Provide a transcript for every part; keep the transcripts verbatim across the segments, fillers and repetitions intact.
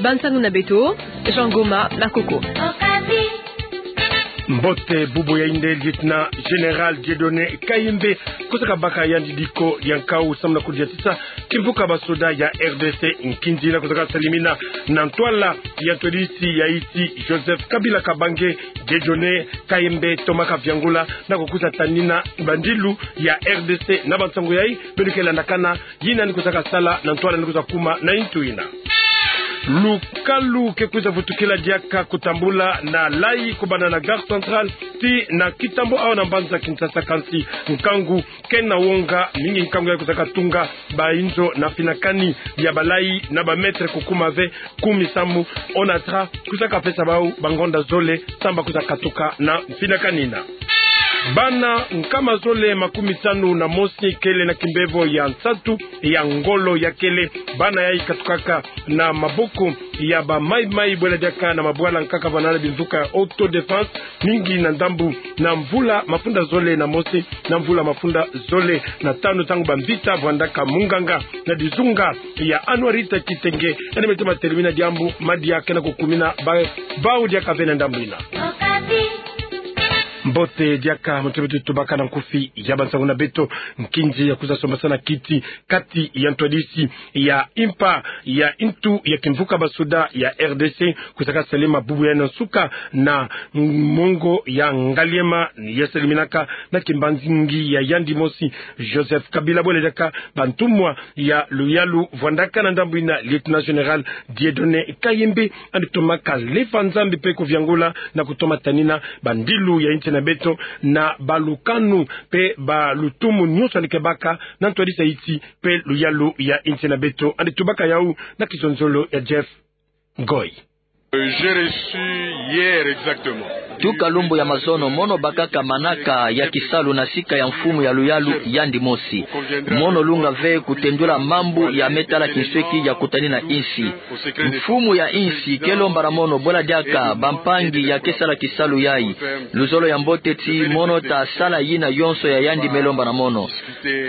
Bansangu na beto, Jean Goma Makoko. Mbote, bubu ya inde, Lieutenant Général Dieudonné Kayembe kusaka baka yandi diko dia nkau samu na kudiatisa kimvuka basoda ya R D C nkinzi na kusaka salimina na ntwala ya ntwadisi ya insi Joseph Kabila Kabange. Dieudonné Kayembe tomaka viangula na kukusa tanina bandilu ya R D C na bansangu yayi beno ke landakana yina ni kusaka sala na ntwala ni kusa kuma na intu ina. Lukalu ke kusa vutukila diaka kutambula na layi kubanda na Gare Centrale tii na Kitambo awa na mbanza Kinshasa, kansi nkangu kena wonga mingi, nkangu ya kusaka tunga bainzo na mfinakani ya balayi na ba mètre kukuma ve kumi samu. ONATRA kusaka pesa bau bangonda zole samu ba kusa katuka na mfinakani ina. Bana nkama zole makumi tanu na mosi kele na kimbevo ya nsatu ya ngolo ya kele. Bana yayi katukaka na maboko ya ba maimai bwela diaka na mabwala nkaka vana na bimvuka ya autodéfense, mingi na ndambu na mvula mafunda zole na mosi na mvula mafunda zole na tanu, ntangu bamvita vwandaka munganga na dizunga ya Anwarita Kitenge, yandi me toma telemina diambu madia kena kukumina ba, bau diaka ve na ndambu ina. Mbote diaka, muntu beto tubaka na nkufi ya bansangu na beto. Nkinzi ya kusa sombasana kiti kati ya ntwadisi ya impa ya intu ya kimvuka basoda ya R D C kusaka salema bubu yayi na nsuka na mongo ya ngaliema ya saleminaka na kimbanzingi ya yandi mosi Joseph Kabila, bwela diaka bantumwa ya luyalu vwandaka na ndambu ina Lieutenant Général Dieudonné Kayembe, yandi tomaka lefa Nzambi mpe kuviangula na kutoma tanina bandilu ya insi na beto na balukanu mpe balutumu nyonso yandi ke baka na ntwadisi ya insi mpe luyalu ya insi na beto. Yandi tubaka yau na kizonzolo ya Jeff Ngoy. Euh, j'ai reçu hier exactement. Tuka lumbu ya mazono, mono bakaka manaka ya kisalu na sika ya mfumu ya luyalu yandi mosi. Mono lunga ve kutendula mambu ya me tala kinsweki ya kutanina insi. Mfumu ya insi ke lomba na mono bwela diaka bampangi ya ke sala kisalu yayi, luzolo ya mbote ti mono ta sala yina yonso ya yandi me lomba na mono.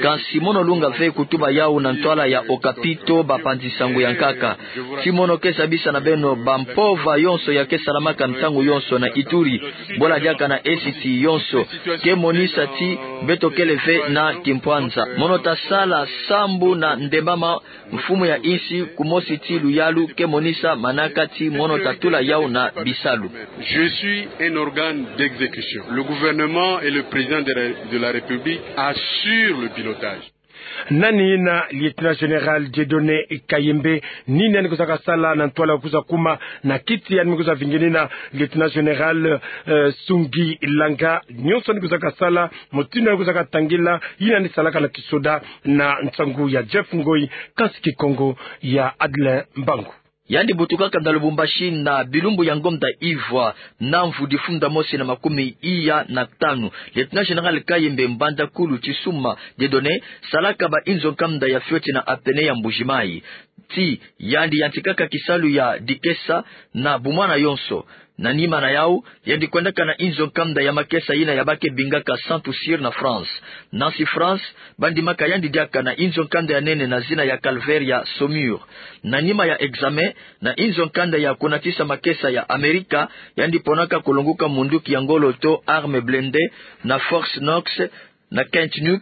Kansi mono lunga ve kutuba yau na ntwala ya Okapi to bapanzi nsangu ya nkaka. Ti mono ke zabisa na beno bampova yonso ya ke salamaka ntangu yonso na Ituri, bwela diaka na Est yonso, ke monisa ti beto kele ve na kimpwanza. Mono ta sala sambu na ndembama mfumu ya insi kumosi ti luyalu ke monisa manaka ti mono ta tula yau na bisalu. Je suis un organe d'exécution. Le gouvernement et le président de la, de la République assurent le pilotage. Nani yina Lieutenant Général Dieudonné Kayembe, nini yandi kusaka sala na ntwala kusa kuma na kiti yandi me kusa vingenina Lieutenant Général, euh, Sungi Langa, nyonso yandi kusaka sala, mutindu yandi kusaka tangila, yina yandi salaka na kisoda na nsangu ya Jeff Ngoy, kansi Kikongo ya Adeline Mbangu. Yandi butukaka na Lubumbashi na bilumbu ya ngonda ivwa na mvu difunda mosi na makumi iya na tanu. Lieutenant Général Kayembe, mbandakulu Tisuma Dieudonné, salaka ba inzo nkanda ya fioti na Apene ya Mbuji-Mayi. Ti yandi yantikaka kisalu ya dikesa na bumwana yonso. Na nima na yau, yandi kwendaka na inzo nkanda ya makesa yina ya ba ke bingaka Santu Cyr na France. Nansi France, ba ndimaka yandi diaka na inzo nkanda ya nene na zina ya Calvaire ya Saumur. Na nima ya examen, na inzo nkanda ya kunatisa makesa ya Amerika, yandi ponaka kulonguka munduki ya ngolo to arme blindée na Fort Knox, na Kent Knox,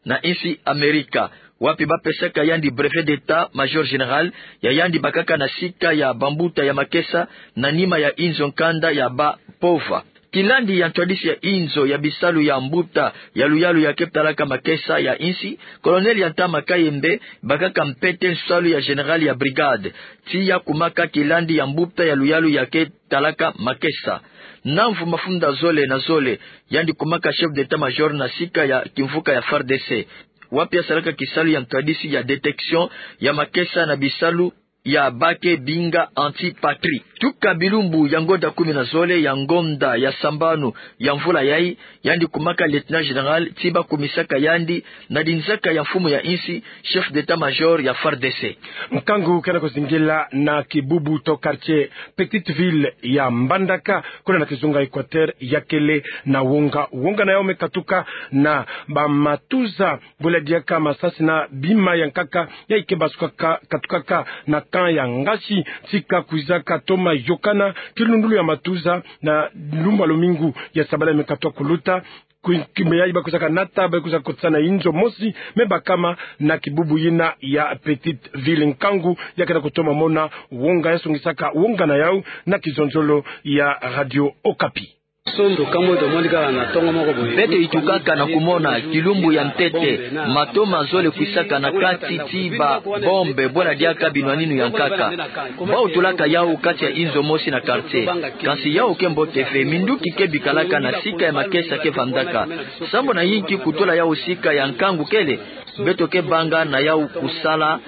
na insi Amerika, wapi ba pesaka yandi brevet d'état-major général ya yandi bakaka na sika ya bambuta ya makesa, na nima ya inzo nkanda ya ba mpova. Kilandi ya ntwadisi ya inzo ya bisalu ya mbuta ya luyalu ya ke talaka makesa ya insi, Colonel ya ntama Kayembe, bakaka mpete nsalu ya général ya brigade. Ti ya kumaka kilandi ya mbuta ya luyalu ya ke talaka makesa. Na mvu mafunda zole na zole, yandi kumaka chef d'état-major na sika ya kimvuka ya F A R D C, wapi ya salaka kisalu ya ntwadisi ya détection ya makesa na bisalu ya ba ke binga anti-patrie. Tuka bilumbu ya ngonda kumi na zole ya ngonda ya sambanu ya mvula yayi, yandi kumaka lieutenant général ti ba kumisaka yandi na dinzaka ya mfumu ya insi, chef d'état-major ya FARDC. Nkangu kena kuzingila na kibubu to quartier Petite Ville ya Mbandaka, kuna na kizunga Équateur, yakele na wonga. Wonga na yau me katuka na bamatuza, bula diaka masasi na bima ya nkaka, yayi ke basukaka, katukaka na camp ya Ngasi, ti ka kwizaka toma yokana kilundulu ya matuza na lumbu ya lumingu ya sabala me katuka kuluta. Kwi-, kimbe yayi ba kwizaka nata, ba kwizaka kotisa na inzo mosi me bakama na kibubu yina ya Petite Ville. Nkangu ya kena kutoma mona wonga, ya songisaka wonga na yau na kizonzolo ya Radio Okapi. Beto yitukaka na kumona kilumbu ya ntete mato mazole kwisaka na kati ti ba bombe, bwena diaka binwaninu ya nkaka. Bau tulaka yau kati ya inzo mosi na quartier. Kansi yau ke mbote ve, minduki ke bikalaka na sika ya makesa ke vandaka. Sambu na yinki kutula yau sika ya nkangu kele? Beto ke banga na yau kusala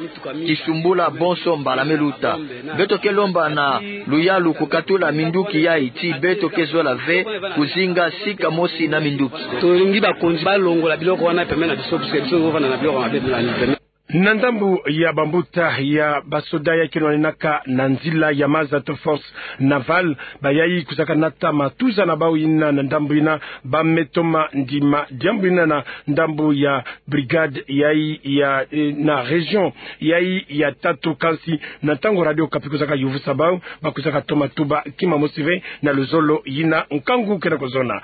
kisumbula bonso mbala me luta. Beto ke lomba na luyalu kukatula minduki yayi ti beto ke zola ve kuzinga sika mosi na minduki. Tolingi bakonzi balongola biloko wana pembeni na biso, parce que biso tozovanda na biloko ya mabe pembeni. Na ndambu ya bambuta ya basoda ya ke nwaninaka na nzila ya maza to force navale, bayayi kwizaka nata matuza na bau yina na ndambu yina, ba me toma ndima diambu yina na ndambu ya brigade yayi ya, eh, na région yayi ya tatu. Kansi na ntangu Radio Okapi kwizaka yuvusa bau, ba kwizaka toma tuba kima mosi ve na luzolo yina nkangu kena kuzona.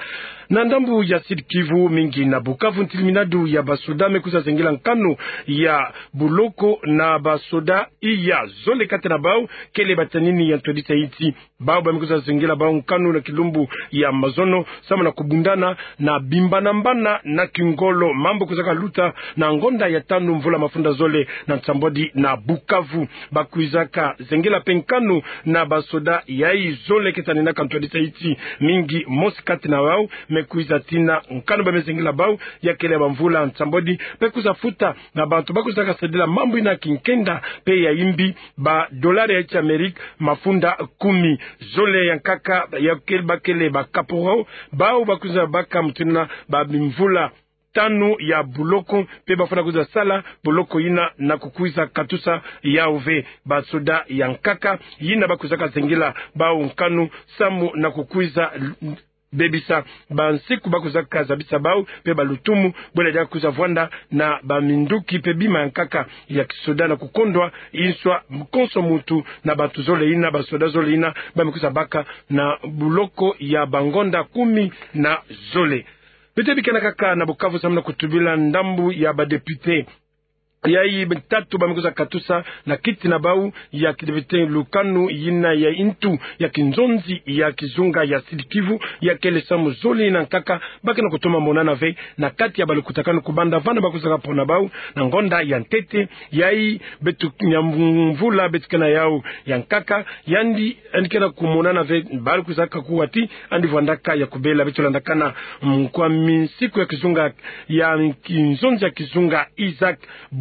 Na ndambu ya Sud-Kivu, mingi na Bukavu, ntiliminadu ya basoda me kwiza zengila nkanu ya buloko na basoda iya zole kati na bau kele batanini ya ntwadisa insi. Bau ba me kwiza zengila bau nkanu na kilumbu ya mazono, samu na kubundana na bimbanambana na kingolo. Mambu kwizaka luta na ngonda ya tanu mvula mafunda zole na nsambwadi na Bukavu. Ba kwizaka zengila mpe nkanu na basoda yayi zole ke taninaka ntwadisa insi, mingi mosi kati na bau me kwiza tina. Nkanu ba me zengila bau ya kele bamvula nsambwadi, mpe kwiza futa na bantu ba kwizaka sadila mambu yina kinkenda mpe ya imbi, ba dolari ya Amerika mafunda kumi. Zole ya nkaka ya kele, ba kele ba caporal, bau ba kwiza baka mutindu na ba bimvula tanu ya buloko, mpe ba fwana kwiza sala buloko yina na kukwiza katusa yau ve. Basoda ya nkaka yina ba kwizaka zengila bau nkanu samu na kukwiza bebisa bansiku ba kwizaka zabisa bau, mpe balutumu, bwena diaka kwiza vwanda na baminduki mpe bima ya nkaka ya kisoda na kukondwa inswa konso muntu na bantu zole yina, basoda zole yina ba me kwiza baka na buloko ya bangonda kumi na zole. Beto bikana kaka na Bukavu samu na kutubila ndambu ya badepite yayi batatu ba me kwiza katusa na kiti na bau ya kidepite lukanu yina ya ntu ya kinzonzi ya kizunga ya Sud-Kivu, ya kele samu zole na nkaka ba kena kutoma monana ve na kati ya balukutakanu kubanda vana ba kwizaka pona bau na ngonda ya ntete yayi beto, ya mvula beto ke na yau ya nkaka. Yandi, yandi kena kumonana ve, bala kwizaka kuwa ti yandi vwandaka ya kubela. Beto landakana mkwa minsiku ya kizunga ya kinzonzi ya kizunga Isaac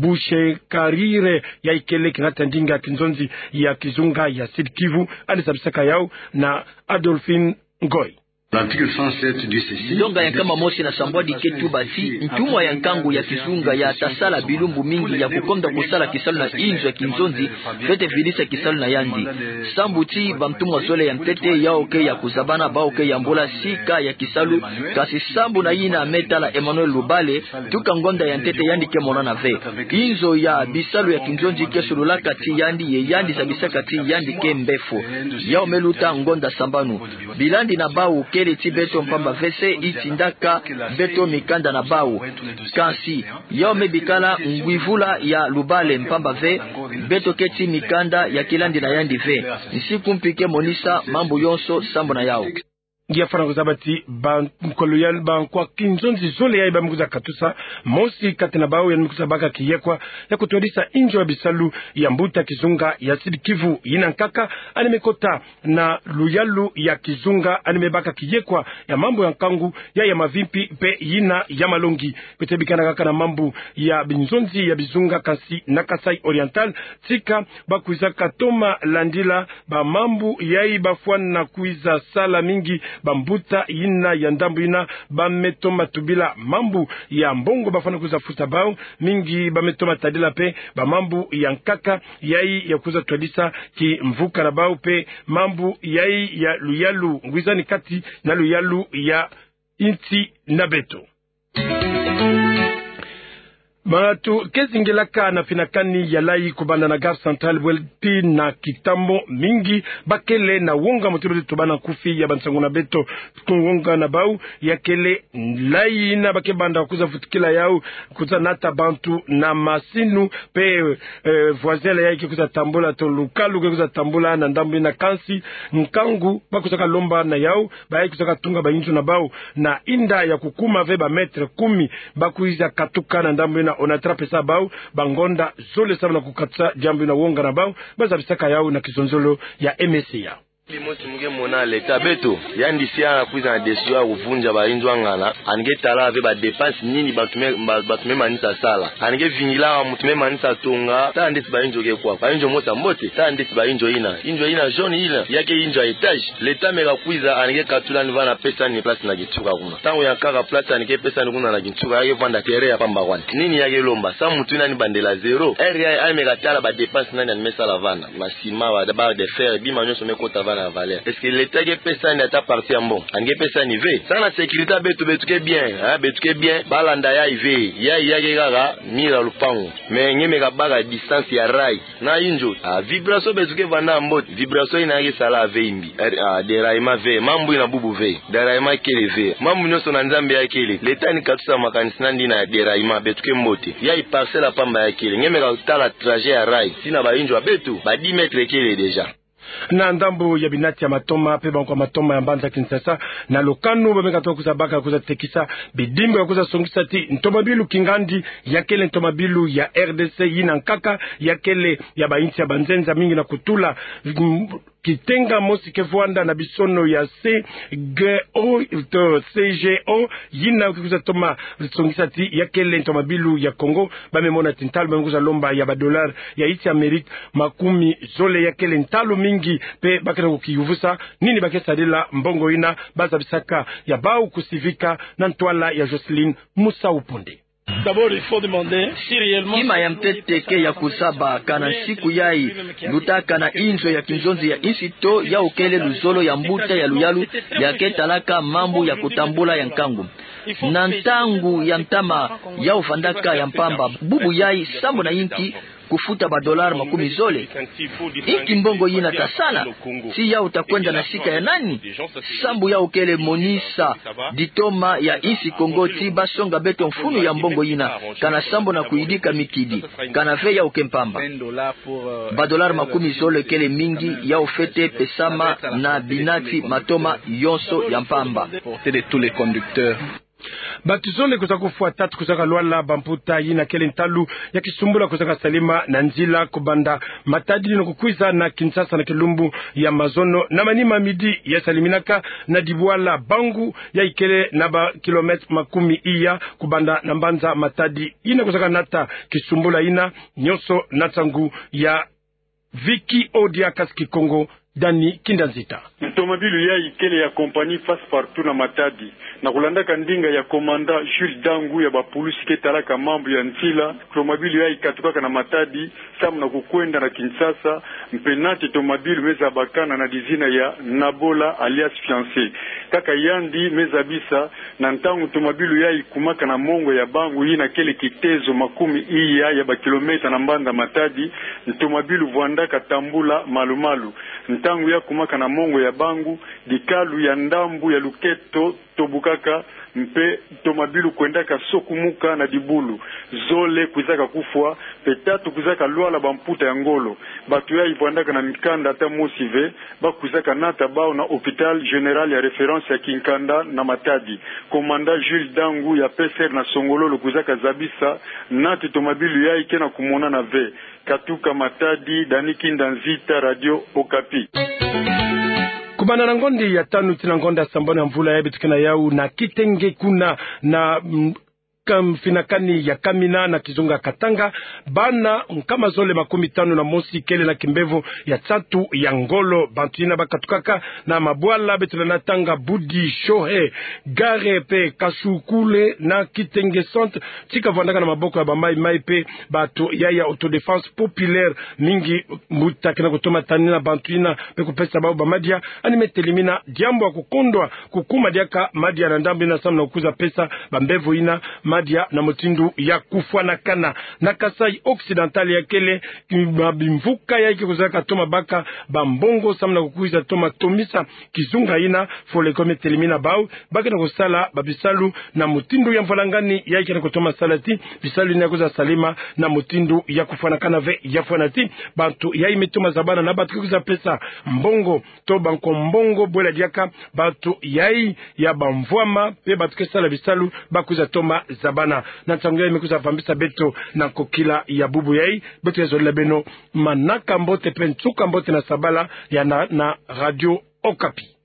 Bushekarire, yayi kele kingata ndinga kinzonzi ya kizunga ya Sud-Kivu, yandi zabisaka yau na Adolphine Ngoy. L'article cent sept du ceci. Ndonga ya nkama mosi na sambwadi ke tuba ti ntumwa ya nkangu ya kizunga ya ta sala bilumbu mingi ya kukonda kusala kisalu na inzo ya kinzonzi fwete vidisa kisalu na yandi. Sambu ti bantumwa zole ya ntete yau ke ya kuzabana, bau ke yambula sika ya kisalu, kansi sambu na yina me tala Emmanuel Lubale, tuka ngonda ya ntete yandi ke monana ve. Inzo ya bisalu ya kinzonzi ke sololaka ti yandi, ye yandi zabisaka ti yandi ke mbefo. Yau me luta ngonda sambanu. Bilandi na bau kele ti beto mpamba ve se itindaka beto mikanda na bau. Kansi yau me bikala ngwivula ya Lubale mpamba ve beto ke ti mikanda ya kilandi na yandi ve. Nsiku mpi ke monisa mambu yonso sambu na yau. Ngia fwana kuzaba ti bankolo ya bankwa kinzonzi zole yayi ba me kwiza katusa, mosi kati na bawu yandi me kwiza baka kiyekwa ya kutwadisa inzo ya bisalu ya mbuta kizunga ya Sud-Kivu. Yina nkaka yandi me kota na luyalu ya kizunga, yandi me baka kiyekwa ya mambu ya nkangu, ya ya mavimpi mpe yina ya malongi. Beto bikana kaka na mambu ya binzonzi ya bizunga, kansi na Kasaï Oriental, tika ba kwizaka toma landila bamambu yayi, ba fwana kwiza sala mingi bambuta yina ya ndambu yina ba me toma tubila mambu ya mbongo ba fwana kwiza futa bawu. Mingi ba me toma tadila mpe bamambu ya nkaka yayi ya kwiza twadisa kimvuka na bawu mpe mambu yayi ya luyalu ngwizani kati na luyalu ya insi na beto. Bato ke zingelaka na finakani ya layi kubanda na Gare Centrale bwe tii na Kintambo, mingi ba kele na wonga. Moto beto tubana nkufi ya bansangu na beto, ku wonga na bawu ya kele layi yina ba ke banda kwiza vutukila yawu, kwiza nata bantu na masinu, mpe, eh, voisin la yayi ke kwiza tambula, to lukalu ke kwiza tambula na ndambu yina, kansi nkangu ba kwizaka lomba na yawu, bayayi kwizaka tunga bainzo na bawu na inda ya kukuma ve ba mètre kumi, ba kwiza katuka na ndambu yina. Onatra pesa bawu bangonda zole samu na kukatusa diambu yina, wonga na bawu ba zabisaka yawu na kizonzolo ya M S A. Bimosi mu ke mona l'État beto, yandi si ya kwiza na décision ya kuvunja bainzo ya ngana, yandi ke tala ve ba dépenses nini bantu me, ba, bantu me manisa sala. Yandi ke vingila muntu me manisa tonga, tala ndeti bainzo ke kwa. Bainzo mosi ya mbote, tala ndeti bainzo yina. Inzo yina jaune yina, ya ke inzo ya étage. L'État me kakwiza, yandi ke katula yandi vana, pesa yandi place na kinsuka kuna. Ntangu ya nkaka place yandi ke pesa yandi kuna na kinsuka, ya ke vanda terrain ya pamba kwandi. Nini ya ke lomba? Samu muntu yina yandi bandela zéro. Heure yayi, yandi me katala ba dépenses nani yandi me sala vana. Ba ciment, ba barre de fer, bima nyonso me kota vana ya valeur. Est-ce que l'État ke pesa yandi ata partie ya mbongo? Yandi ke pesa yandi ve. Samu na sécurité ya beto, beto ke bien, hein, beto ke bien. Ba landa yayi ve. Yayi ya ke kaka mur ya lupangu. Mais nge me kabaka distance ya rail na inzo. Ah, vibration beto ke vanda ya mbote. Vibration yina ya ke sala ve imbi. Ah, déraillement ve. Mambu yina bubu ve. Déraillement kele ve. Mambu nyonso na Nzambi ya kele. L'État ni katusa makanisi na yandi na déraillement, beto ke mbote. Yayi parcelle ya pamba ya kele. Nge me katala trajet ya rail tii na bainzo ya beto, ba dix mètres kele déjà. Na ndambu ya binati ya matoma, mpe bankwa matoma ya mbanza Kinshasa, na lukanu ba me katuka kwiza baka kwiza tekisa bidimbu ya kwiza songisa ti ntomabilu kingandi ya kele ntomabilu ya R D C, yina nkaka ya kele ya bainsi ya banzenza mingi na kutula, mm, kitenga mosi ke vwanda na bisono ya C G O, to C G O, yina ke kwiza toma songisa ti ya kele ntomabilu ya Congo. Ba me mona ti ntalu ba me kwiza lomba ya ba dollars ya insi ya Amérique makumi zole, ya kele ntalu mingi, mpe ba ke na kukiyuvusa nini ba ke sadila mbongo yina. Ba zabisaka ya bawu kusivika na ntwala ya Jocelyne Musau Ponde. D'abord, il faut demander si réellement... Kima ya mpete ke ya kuzaba kana nsiku yayi lutaka na inzo ya kinzonzi ya insi to yawu kele luzolo ya mbuta ya luyalu ya ke talaka mambu ya kutambula ya nkangu. Na ntangu ya ntama yawu vandaka ya mpamba, bubu yayi sambu na inki kufuta ba dollars makumi zole? Inki mbongo yina ta sala? Si yawu ta kwenda na sika ya nani? Sambu yawu kele monisa ditoma ya insi Congo ti ba songa beto mfunu ya mbongo yina, kana sambu na kuyidika mikidi, kana ve yawu ke mpamba. Ba dollars makumi zole kele mingi, yawu fwete pesama na binati matoma yonso ya mpamba. Bato zole kwiza kufwa tatu, kwiza kalwala bamputa yina kele ntalu ya kisumbula kwiza kasalema na nzila kubanda Matadi na kukwiza na Kinshasa na kilumbu ya mazono na manima midi, ya saleminaka na dibwala Bangu, yayi kele na ba kilomètres makumi iya kubanda na mbanza Matadi. Yina kwiza kanata kisumbula yina, nyonso na nsangu ya Vicky Odia, kasi Kikongo, Dani Kinda Nzita. Ntomabilu yayi kele ya compagnie Passe Partout na Matadi. Na kulandaka ndinga ya commandant Jules Dangu ya bapulusi ke talaka mambu ya nzila, ntomabilu yayi katukaka na Matadi samu na kukwenda na Kinshasa, mpe nati ntomabilu me zabakana na dizina ya Nabola alias Fiancé. Kaka yandi me zabisa, na ntangu ntomabilu yayi kumaka na mongo ya Bangu, yina kele kitezo makumi iya ya bakilomètres na mbanza Matadi, ntomabilu vwandaka tambula malu-malu. Ntangu ya kumaka na mongo ya bangu, dikalu ya ndambu ya luketo tobukaka, mpe tomabilu kwendaka sokumuka na dibulu. Zole kwizaka kufwa, mpe tatu kwizaka lwala bamputa ya ngolo. Bato yayi vwandaka na mikanda ata mosi ve, ba kwizaka nata bawu na Hôpital Général ya référence ya Kinkanda na Matadi. Commandant Jules Dangu ya P S R na Songololo kwizaka zabisa nati tomabilu yayi ke na kumonana ve. Katuka Matadi, Dani Kinda Nzita, Radio Okapi. Kubanda na ngonde ya tanu tii na ngonde ya sambanu ya mvula yayi beto ke na yawu na Kitenge kuna na, mm, kam-, finakani ya Kamina na kizunga Katanga. Bana nkama zole makumi tanu na mosi kele na kimbevo ya nsatu ya ngolo. Bantu yina bakatukaka na mabwala beto lenda tanga Budi, Shohe, Gare mpe Kasukule na Kitenge Centre, ti kavwandaka na maboko ya ba Maï Maï mpe bato yayi ya Autodéfense Populaire. Mingi mbuta ke na kutoma tanina bantu yina mpe kupesa bawu bamadia. Yandi me telimina diambu ya kukondwa kukuma diaka madia na ndambu yina samu na kukwiza pesa bambevo yina madia na mutindu ya kufwanakana. Na Kasaï Occidental ya kele, ba bimvuka yayi ke kwiza katoma baka bambongo samu na kukwiza toma tomisa kizunga yina. Foleko me telimina bawu ba ke na kusala babisalu na mutindu ya mvwalangani yayi ke na kutoma sala ti bisalu yina ya kwiza salema na mutindu ya kufwanakana ve. Ya fwana ti bantu yayi me toma zabana na bantu ke kwiza pesa mbongo to banko mbongo bwela diaka bantu yayi ya bamvwama mpe bantu ke sala bisalu ba kwiza toma zabana. Na nsangu yayi me kwiza vambisa beto na nkokila ya bubu yayi. Beto ya zolila beno manaka mbote mpe nsuka mbote na sabala ya na, na Radio Okapi.